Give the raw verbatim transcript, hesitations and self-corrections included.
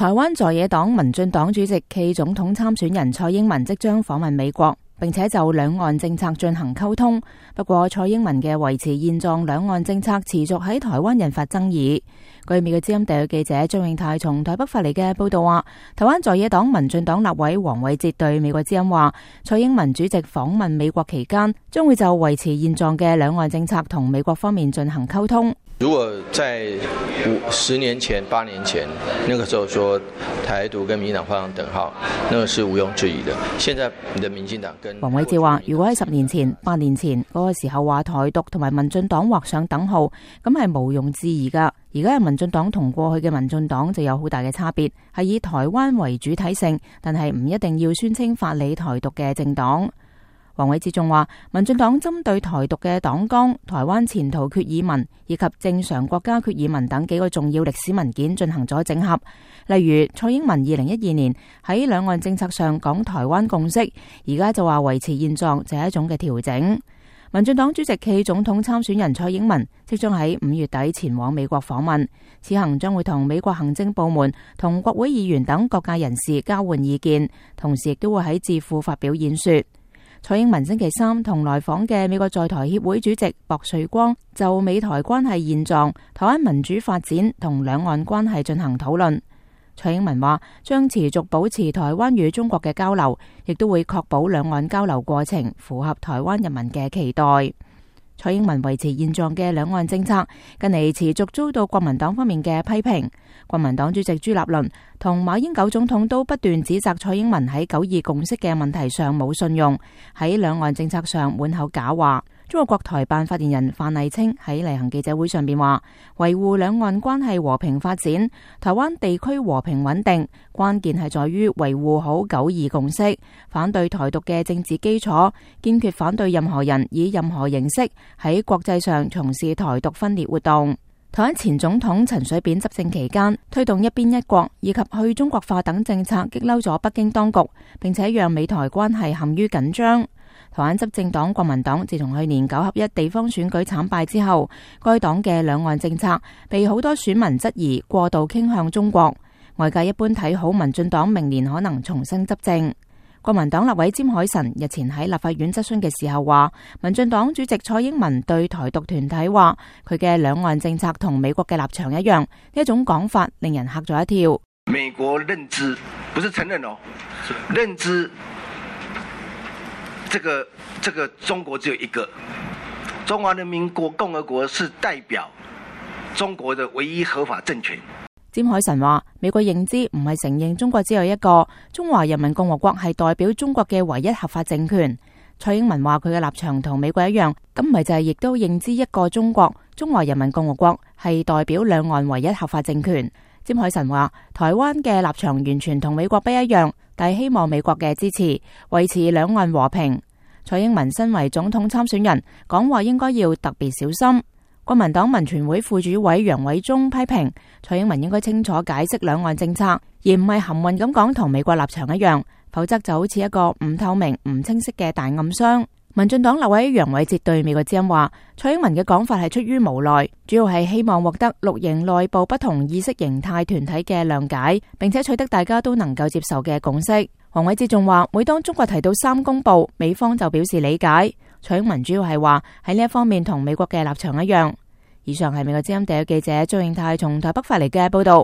台灣在野黨民進黨主席暨總統參選人蔡英文即將訪問美國，並且就兩岸政策進行溝通。不過，蔡英文嘅維持現狀兩岸政策持續喺台灣引發爭議。據美國之音特約記者張永泰從台北發嚟嘅報道話，台灣在野黨民進黨立委黃偉哲對美國之音話，蔡英文主席訪問美國期間，將會就維持現狀嘅兩岸政策同美國方面進行溝通。如果在五十年前、八年前，那個時候說台獨跟民進黨畫上等號，那個是毋庸置疑的。現在你的民進黨跟黃偉哲話，如果喺十年前、八年前嗰個時候話台獨同埋民進黨畫上等號，咁係毋庸置疑噶。而家嘅民進黨同過去嘅民進黨就有好大嘅差別，係以台灣為主體性，但係唔一定要宣稱法理台獨嘅政黨。黃偉哲仲話，民進黨針對台獨嘅黨綱、台灣前途決議文以及正常國家決議文等幾個重要歷史文件進行咗整合。例如，蔡英文二零一二年喺兩岸政策上講台灣共識，而家就話維持現狀就係一種嘅調整。民進黨主席暨總統參選人蔡英文即將喺五月底前往美國訪問，此行將會同美國行政部門同國會議員等各界人士交換意見，同時亦都會喺智庫發表演說。蔡英文星期三同來訪嘅美國在台協會主席薄瑞光就美台關係現狀、台灣民主發展同兩岸關係進行討論。蔡英文話將持續保持台灣與中國嘅交流，亦都會確保兩岸交流過程符合台灣人民嘅期待。蔡英文維持現狀嘅兩岸政策近嚟持續遭到國民黨方面嘅批評。國民黨主席朱立倫同馬英九總統都不斷指責蔡英文喺九二共識嘅問題上冇信用，喺兩岸政策上滿口假話。中國國台辦發言人范麗清喺例行記者會上邊話，維護兩岸關係和平發展，台灣地區和平穩定，關鍵係在於維護好九二共識，反對台獨嘅政治基礎，堅決反對任何人以任何形式喺國際上從事台獨分裂活動。台灣前總統陳水扁執政期間，推動一邊一國以及去中國化等政策，激嬲咗北京當局，並且讓美台關係陷於緊張。台灣執政黨國民黨自從去年九合一地方選舉慘敗之後，該黨嘅兩岸政策被好多選民質疑過度傾向中國。外界一般睇好民進黨明年可能重新執政。國民黨立委詹海晨日前喺立法院質詢嘅時候話，民進黨主席蔡英文對台獨團體話佢嘅兩岸政策同美國嘅立場一樣，呢一種講法令人嚇咗一跳。美國認知不是承認哦，認知這個這個中國只有一個，中華人民共和國是代表中國的唯一合法政權。詹海晨話，美國認知唔係承認中國只有一個，中華人民共和國係代表中國嘅唯一合法政權。蔡英文話佢嘅立場同美國一樣，咁唔係就係亦都認知一個中國，中華人民共和國係代表兩岸唯一合法政權。詹海晨話，台灣嘅立場完全同美國不一樣，但係希望美國嘅支持，維持兩岸和平。蔡英文身為總統參選人，講話應該要特別小心。國民黨民權會副主委楊偉忠批評蔡英文應該清楚解釋兩岸政策，而唔係含混咁講同美國立場一樣，否則就好似一個唔透明、唔清晰嘅大暗箱。民進黨立委楊偉哲對美國之音話，蔡英文嘅講法係出於無奈，主要係希望獲得綠營內部不同意識形態團體嘅諒解，並且取得大家都能夠接受嘅共識。黃偉哲仲話，每當中國提到三公報，美方就表示理解。蔡英文主要係話喺呢一方面同美國嘅立場一樣。以上係美國之音第一記者張永泰從台北發嚟嘅報道。